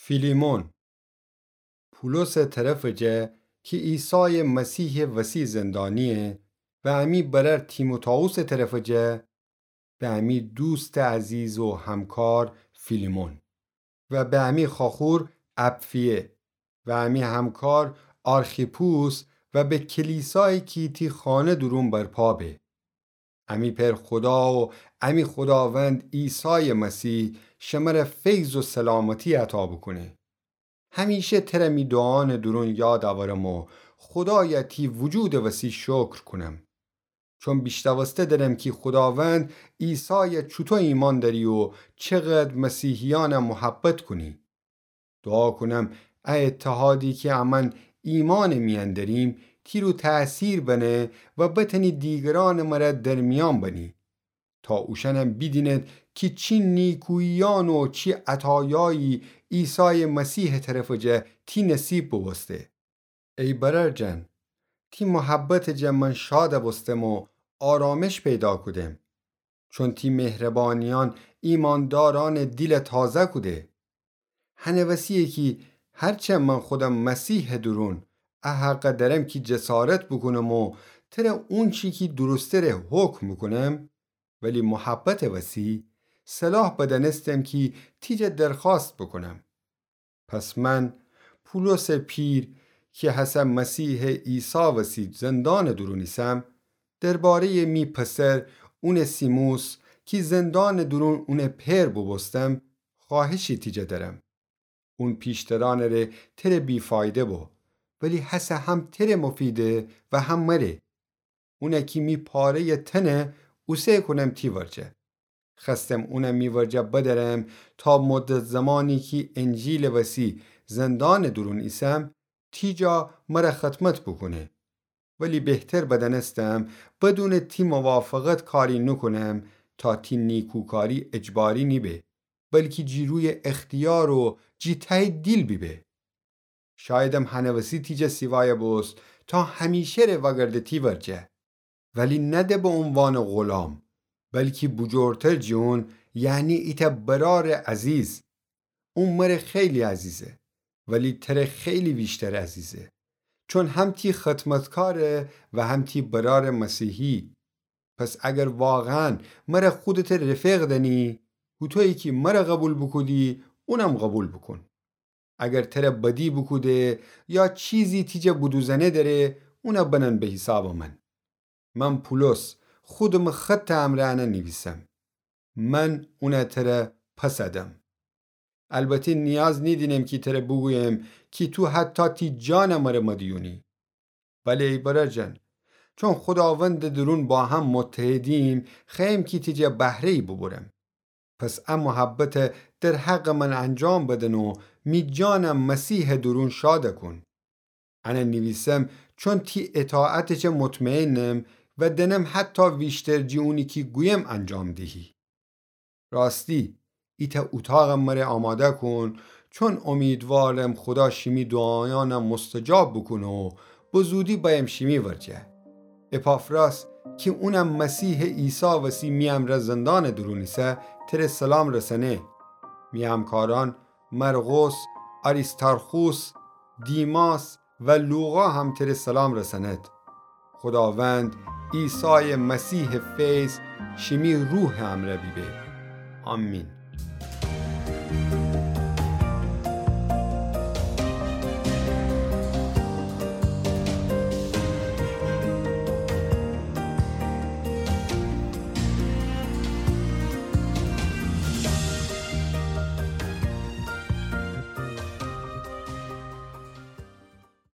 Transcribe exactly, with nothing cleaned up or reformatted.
فیلیمون. پولوسٚ طرفٚ جا کی عیسایٚ مسیحٚ وسی زندانییه و امی برأر تیموتائوسٚ طرفٚ جا، به امی دوستٚ عزیز و همکار فیلیمون و به امی خواخور اپفیه و امی همکار آرخیپوس و به کلیسایی کی تی خانه دورون برپا به. امی پئر خودا و امی خوداوند عیسایٚ مسیح شمره فیض و سلامتی عطا بوکونه. همیشه تره می دوعانٚ دورون یاد اورم و خودایه تی وجودٚ وسی شکر کونم. چون بیشنوسته درم کی خوداوند عیسایه چوطو ایمأن دأری و چقدر مسیحیأنه محبت کونی. دوعا کونم ا اتحادی کی امأن ایمأنٚ میأن دریم، تی رو تأثیر بنه و بتأنی دیگرأنٚ مره درمیأن بنی، تا اوشأنم بیدینید کی چی نیکوییأن و چی عطایایی عیسایٚ مسیحٚ طرفٚ جا تی نصیب بوبوسته. ای برأر جان، تی محبتٚ جا من شاد بوستم و آرامش پیدا کودم، چون تی مهربانیأن ایمأندارأنٚ دیل تازه کوده. هنٚ وسییه کی هرچه من خودم مسیحٚ دورون ا حق درم کی جسارت بوکونم و تره اونچی کی درستٚ ره حکم بوکونم، ولی محبتٚ وسی صلاح بدأنستم کی تی جا درخوأست بوکونم. پس من، پولوسٚ پیر، کی هسه مسیحٚ عیسی وسی زندانٚ دورون ایسم، درباره‌یٚ می پسر اونسیموس، کی زندانٚ دورون اونٚ پئر بوبوستم، خوأهشی تی جا درم. اون پیشترأنٚ ره تره بی‌فایده بو، ولی هسه هم تره مفیده و هم مره. اونه کی می پاره‌یٚ تنه اوسه کونم تی ورجه. خوأستم اونه می ورجه بدأرم تا مدت زمانی کی انجیلٚ وسی زندانٚ دورون ایسم، تی جا مره خدمت بوکونه. ولی بهتر بدأنستم بدونٚ تی موافقت کاری نوکونم، تا تی نیکوکاری اجباری نیبه، بلکی جی روی اختیار و جی تهٚ دیل بیبه. شایدم هنٚ وسی تی جا سیوایه بوست تا همیشه ره وأگرده تی ورجه. ولی نه ده به عنوانٚ غلام، بلکی بوجورتر جی اون، یعنی ایتأ برارٚ عزیز. اون مره خیلی عزیزه، ولی تره خیلی ویشتر عزیزه. چون هم تی خدمتکاره و هم تی برارٚ مسیحی. پس اگر واقعاً مره خودتٚ رفیق دأنی، هوطویی کی مره قوبیل بوکودی، اونم قوبیل بوکون. اگر تره بدی بوکوده یا چیزی تی جا بدوزأنه دره، اونه بنن به حیسابٚ من. من پولس خودمٚ خطٚ امرأ انه نیویسم. من اونه تره پس ادم. البته نیاز نیدینم کی تره بوگویم کی تو حتی تی جانٚ مره مدیونی. بله ای برأر جان، چون خوداوندٚ دورون با هم متحدیم، خوأیم کی تی جا بهره‌یی بوبرم. پس ا محبته در حقٚ من انجام بدن و می جانه مسیحٚ دورون شاده کون. انه نیویسم چون تی اطاعتٚ جا مطمئنم و دأنم حتی ویشتر جی اونی کی گویم انجام دیهی. راستی، ایتأ اوطاق مره آماده کون، چون امیدوارم خودا شیمی دوعایأنه مستجاب بوکونه و به زودی بأیم شیمی ورجه. اپافراس کی اونم مسیحٚ عیسی وسی می امرأ زندانٚ دورون ایسه، تره سلام رسأنه. می همکارأن مرقس، آریستارخوس، دیماس و لوقا هم تره سلام رسأند. خوداوند عیسایٚ مسیحٚ فیض شیمی روحٚ امرأ بیبه. آمین.